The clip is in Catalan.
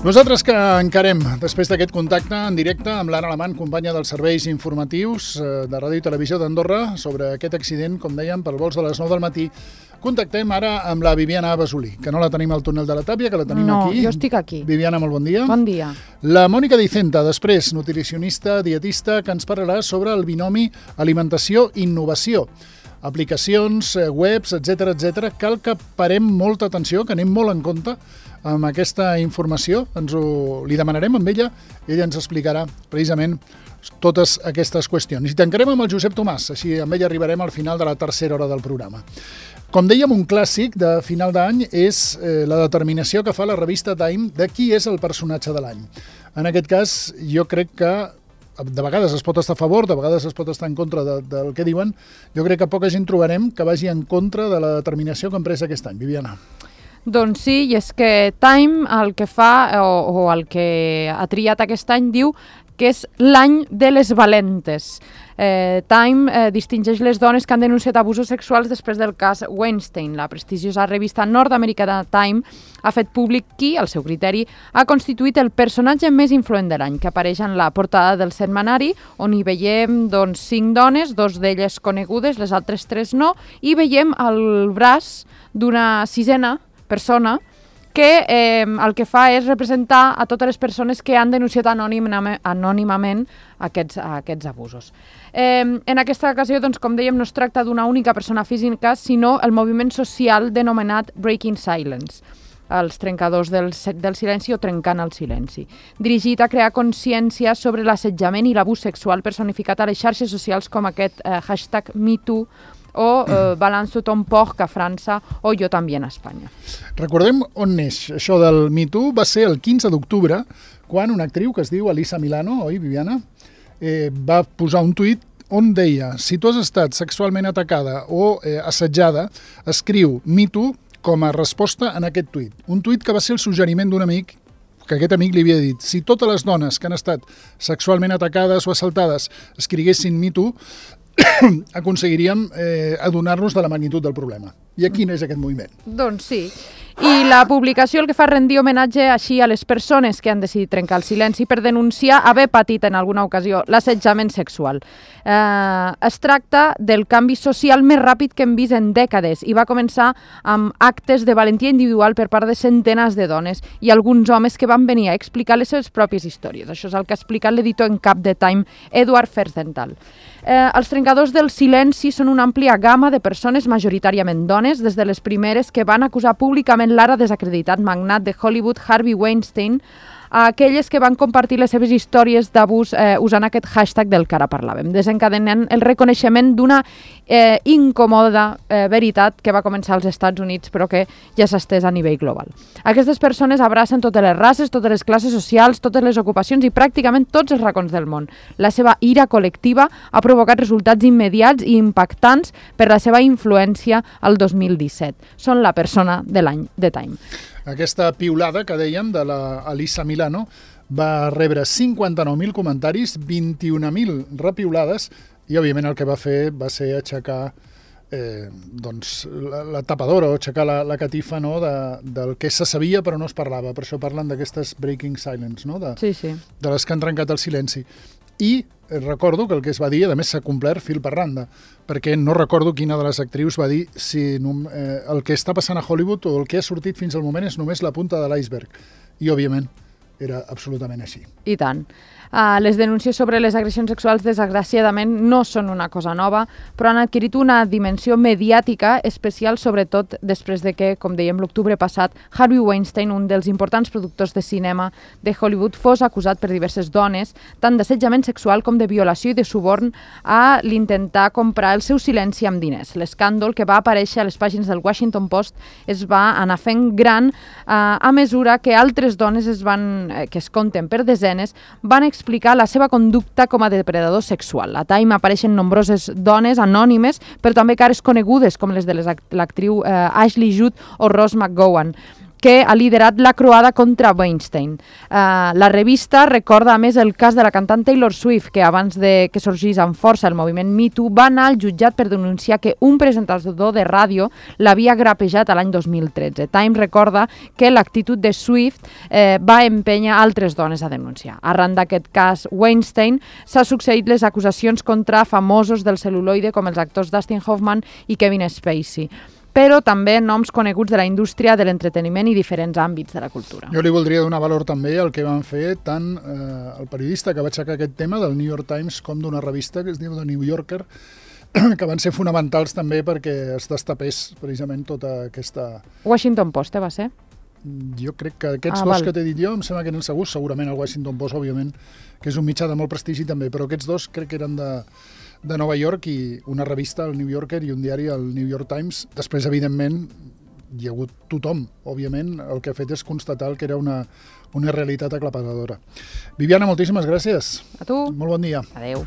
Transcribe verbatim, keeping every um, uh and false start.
Nosaltres que encarem, després d'aquest contacte en directe amb l'Anna Alamant, companya dels serveis informatius de Ràdio i Televisió d'Andorra, sobre aquest accident, com dèiem, per vols de les nou del matí, contactem ara amb la Viviana Basulí, que no la tenim al túnel de la Tàpia, que la tenim no, aquí. No, jo estic aquí. Viviana, molt bon dia. Bon dia. La Mònica Dicenta, després, nutricionista, dietista, que ens parlarà sobre el binomi alimentació-innovació. Aplicacions, webs, etcètera, etcètera. Cal que parem molta atenció, que anem molt en compte amb aquesta informació. Ens ho, li demanarem amb ella, ella ens explicarà precisament totes aquestes qüestions. I tancarem amb el Josep Tomàs, així amb ell arribarem al final de la tercera hora del programa. Com dèiem, un clàssic de final d'any és eh, la determinació que fa la revista Time de qui és el personatge de l'any. En aquest cas, jo crec que de vegades es pot estar a favor, de vegades es pot estar en contra de, del que diuen. Jo crec que poca gent trobarem que vagi en contra de la determinació que han pres aquest any. Viviana. Doncs sí, i és que Time el que fa, o, o el que ha triat aquest any, diu que és l'any de les valentes. Eh, Time eh, distingeix les dones que han denunciat abusos sexuals després del cas Weinstein. La prestigiosa revista nord-americana Time ha fet públic qui, al seu criteri, ha constituït el personatge més influent de l'any, que apareix en la portada del setmanari, on hi veiem doncs, cinc dones, dos d'elles conegudes, les altres tres no, i veiem el braç d'una sisena persona que eh, el que fa és representar a totes les persones que han denunciat anònimament, anònimament aquests, aquests abusos. Eh, en aquesta ocasió, doncs, com dèiem, no es tracta d'una única persona física, sinó el moviment social denominat Breaking Silence, els trencadors del, del silenci o trencant el silenci, dirigit a crear consciència sobre l'assetjament i l'abús sexual personificat a les xarxes socials com aquest eh, hashtag MeToo, o eh, Balance ton porc a França o Jo també a Espanya. Recordem on neix això del MeToo. Va ser el quinze d'octubre, quan una actriu que es diu Alyssa Milano, oi, Viviana, eh, va posar un tuit on deia: si tu has estat sexualment atacada o eh, assetjada, escriu MeToo com a resposta en aquest tuit. Un tuit que va ser el suggeriment d'un amic, que aquest amic li havia dit: si totes les dones que han estat sexualment atacades o assaltades escriguessin MeToo, aconseguiríem eh, adonar-nos de la magnitud del problema. I aquí no és aquest moviment. Doncs sí. I la publicació el que fa rendir homenatge així a les persones que han decidit trencar el silenci per denunciar haver patit en alguna ocasió l'assetjament sexual. Eh, es tracta del canvi social més ràpid que hem vist en dècades i va començar amb actes de valentia individual per part de centenars de dones i alguns homes que van venir a explicar les seves pròpies històries. Això és el que ha explicat l'editor en cap de Time, Edward Ferzenthal. Eh, els trencadors del silenci són una àmplia gamma de persones majoritàriament dones, des de les primeres que van acusar públicament l'ara desacreditat magnat de Hollywood Harvey Weinstein, a aquelles que van compartir les seves històries d'abús eh, usant aquest hashtag del que ara parlàvem, desencadenant el reconeixement d'una eh, incòmoda eh, veritat que va començar als Estats Units però que ja s'ha estès a nivell global. Aquestes persones abracen totes les races, totes les classes socials, totes les ocupacions i pràcticament tots els racons del món. La seva ira col·lectiva ha provocat resultats immediats i impactants per la seva influència al dos mil disset. Són la persona de l'any de Time. Aquesta piulada que dèiem de la Alyssa Milano va rebre cinquanta-nou mil comentaris, vint-i-un mil repiulades, i òbviament el que va fer va ser aixecar eh, doncs, la, la tapadora o aixecar la, la catifa, no, de, del que se sabia però no es parlava. Per això parlen d'aquestes breaking silence, no? de, sí, sí. de les que han trencat el silenci. I recordo que el que es va dir, a més s'ha complert fil per randa, perquè no recordo quina de les actrius va dir si eh, el que està passant a Hollywood o el que ha sortit fins al moment és només la punta de l'iceberg. I, òbviament, era absolutament així. I tant. Uh, les denúncies sobre les agressions sexuals, desgraciadament, no són una cosa nova, però han adquirit una dimensió mediàtica especial, sobretot després de que, com dèiem l'octubre passat, Harvey Weinstein, un dels importants productors de cinema de Hollywood, fos acusat per diverses dones, tant d'assetjament sexual com de violació i de suborn, a l'intentar comprar el seu silenci amb diners. L'escàndol que va aparèixer a les pàgines del Washington Post es va anar fent gran uh, a mesura que altres dones es van, eh, que es compten per desenes, van explicar explicar la seva conducta com a depredador sexual. A Time apareixen nombroses dones anònimes, però també cares conegudes com les de l'actriu eh, Ashley Judd o Rose McGowan. que ha liderat la croada contra Weinstein. Uh, la revista recorda a més el cas de la cantant Taylor Swift, que abans de que sorgís amb força el moviment Me Too va anar al jutjat per denunciar que un presentador de ràdio l'havia grapejat a l'any dos mil tretze. Time recorda que l'actitud de Swift eh, va empènyer altres dones a denunciar. Arran d'aquest cas Weinstein s'ha succeït les acusacions contra famosos del cel·luloide com els actors Dustin Hoffman i Kevin Spacey, però també noms coneguts de la indústria de l'entreteniment i diferents àmbits de la cultura. Jo li voldria donar valor també al que van fer tant eh, el periodista que va aixecar aquest tema del New York Times com d'una revista que es diu The New Yorker, que van ser fonamentals també perquè es destapés precisament tota aquesta... Washington Post, eh, va ser? Jo crec que aquests ah, dos val. que t'he dit jo em sembla que eren segurs, segurament el Washington Post, òbviament, que és un mitjà de molt prestigi també, però aquests dos crec que eren de... de Nova York i una revista, el New Yorker, i un diari, el New York Times. Després, evidentment, hi ha hagut tothom, òbviament, el que ha fet és constatar que era una, una realitat aclaparadora. Viviana, moltíssimes gràcies. A tu. Molt bon dia. Adéu.